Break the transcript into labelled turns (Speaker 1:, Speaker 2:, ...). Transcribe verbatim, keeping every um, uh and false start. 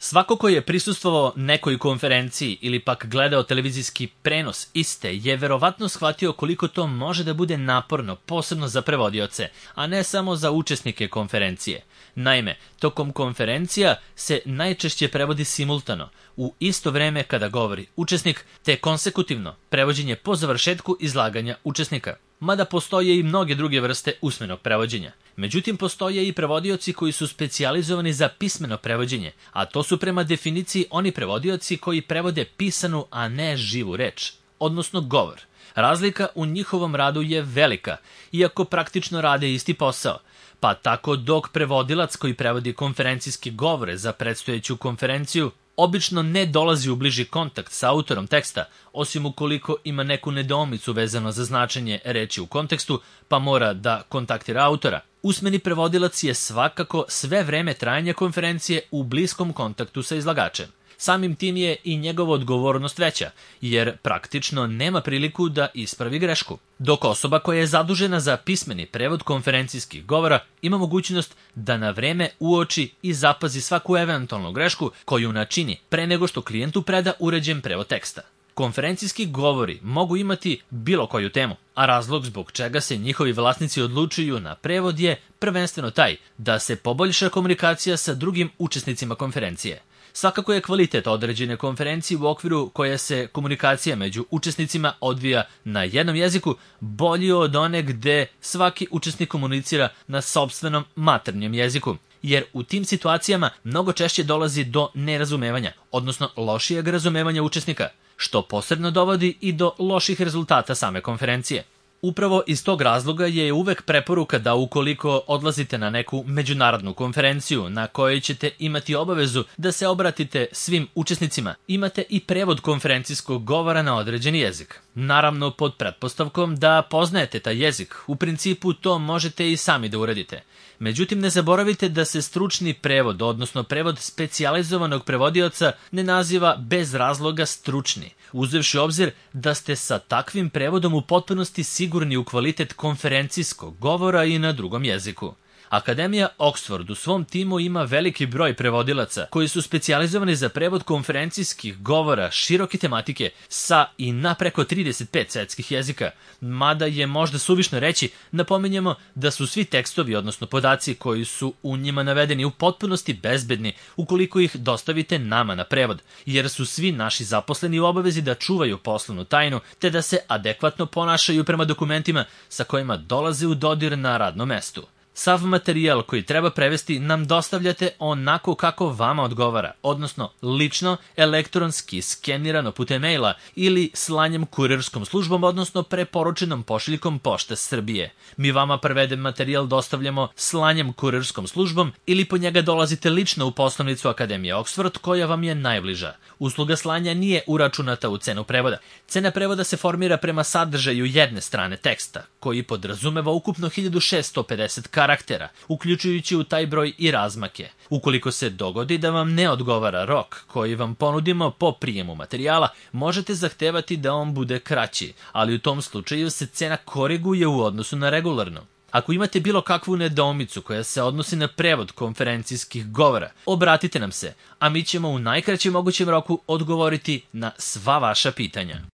Speaker 1: Svako ko je prisustvovao nekoj konferenciji ili pak gledao televizijski prenos iste je verovatno shvatio koliko to može da bude naporno, posebno za prevodioce, a ne samo za učesnike konferencije. Naime, tokom konferencija se najčešće prevodi simultano, u isto vreme kada govori učesnik, te konsekutivno prevođenje po završetku izlaganja učesnika. Mada postoje i mnoge druge vrste usmenog prevođenja. Međutim, postoje i prevodioci koji su specijalizovani za pismeno prevođenje, a to su prema definiciji oni prevodioci koji prevode pisanu, a ne živu reč, odnosno govor. Razlika u njihovom radu je velika, iako praktično rade isti posao. Pa tako dok prevodilac koji prevodi konferencijske govore za predstojeću konferenciju obično ne dolazi u bliži kontakt sa autorom teksta, osim ukoliko ima neku nedoumicu vezano za značenje reči u kontekstu, pa mora da kontaktira autora. Usmeni prevodilac je svakako sve vreme trajanja konferencije u bliskom kontaktu sa izlagačem. Samim tim je i njegova odgovornost veća, jer praktično nema priliku da ispravi grešku. Dok osoba koja je zadužena za pismeni prevod konferencijskih govora ima mogućnost da na vreme uoči i zapazi svaku eventualnu grešku koju načini pre nego što klijentu preda uređen prevod teksta. Konferencijski govori mogu imati bilo koju temu, a razlog zbog čega se njihovi vlasnici odlučuju na prevod je prvenstveno taj da se poboljša komunikacija sa drugim učesnicima konferencije. Svakako je kvalitet određene konferencije u okviru koje se komunikacija među učesnicima odvija na jednom jeziku bolji od one gde svaki učesnik komunicira na sopstvenom maternjem jeziku, jer u tim situacijama mnogo češće dolazi do nerazumevanja, odnosno lošijeg razumevanja učesnika, što posebno dovodi i do loših rezultata same konferencije. Upravo iz tog razloga je uvek preporuka da ukoliko odlazite na neku međunarodnu konferenciju na kojoj ćete imati obavezu da se obratite svim učesnicima, imate i prevod konferencijskog govora na određeni jezik. Naravno pod pretpostavkom da poznajete taj jezik, u principu to možete i sami da uradite. Međutim, ne zaboravite da se stručni prevod, odnosno prevod specijalizovanog prevodioca, ne naziva bez razloga stručni, uzevši obzir da ste sa takvim prevodom u potpunosti sigurni u kvalitet konferencijskog govora i na drugom jeziku. Akademija Oxford u svom timu ima veliki broj prevodilaca koji su specijalizovani za prevod konferencijskih govora široke tematike sa i na preko trideset pet svetskih jezika. Mada je možda suvišno reći, napominjemo da su svi tekstovi, odnosno podaci koji su u njima navedeni u potpunosti bezbedni ukoliko ih dostavite nama na prevod, jer su svi naši zaposleni u obavezi da čuvaju poslovnu tajnu te da se adekvatno ponašaju prema dokumentima sa kojima dolaze u dodir na radnom mestu. Sav materijal koji treba prevesti nam dostavljate onako kako vama odgovara, odnosno lično, elektronski, skenirano putem maila ili slanjem kurirskom službom, odnosno preporučenom pošiljkom Pošte Srbije. Mi vama preveden materijal dostavljamo slanjem kurirskom službom ili po njega dolazite lično u poslovnicu Akademije Oxford koja vam je najbliža. Usluga slanja nije uračunata u cenu prevoda. Cena prevoda se formira prema sadržaju jedne strane teksta, koji podrazumeva ukupno hiljadu šessto pedeset karaktera, uključujući u taj broj i razmake. Ukoliko se dogodi da vam ne odgovara rok koji vam ponudimo po prijemu materijala, možete zahtevati da on bude kraći, ali u tom slučaju se cena koriguje u odnosu na regularno. Ako imate bilo kakvu nedoumicu koja se odnosi na prevod konferencijskih govora, obratite nam se, a mi ćemo u najkraćem mogućem roku odgovoriti na sva vaša pitanja.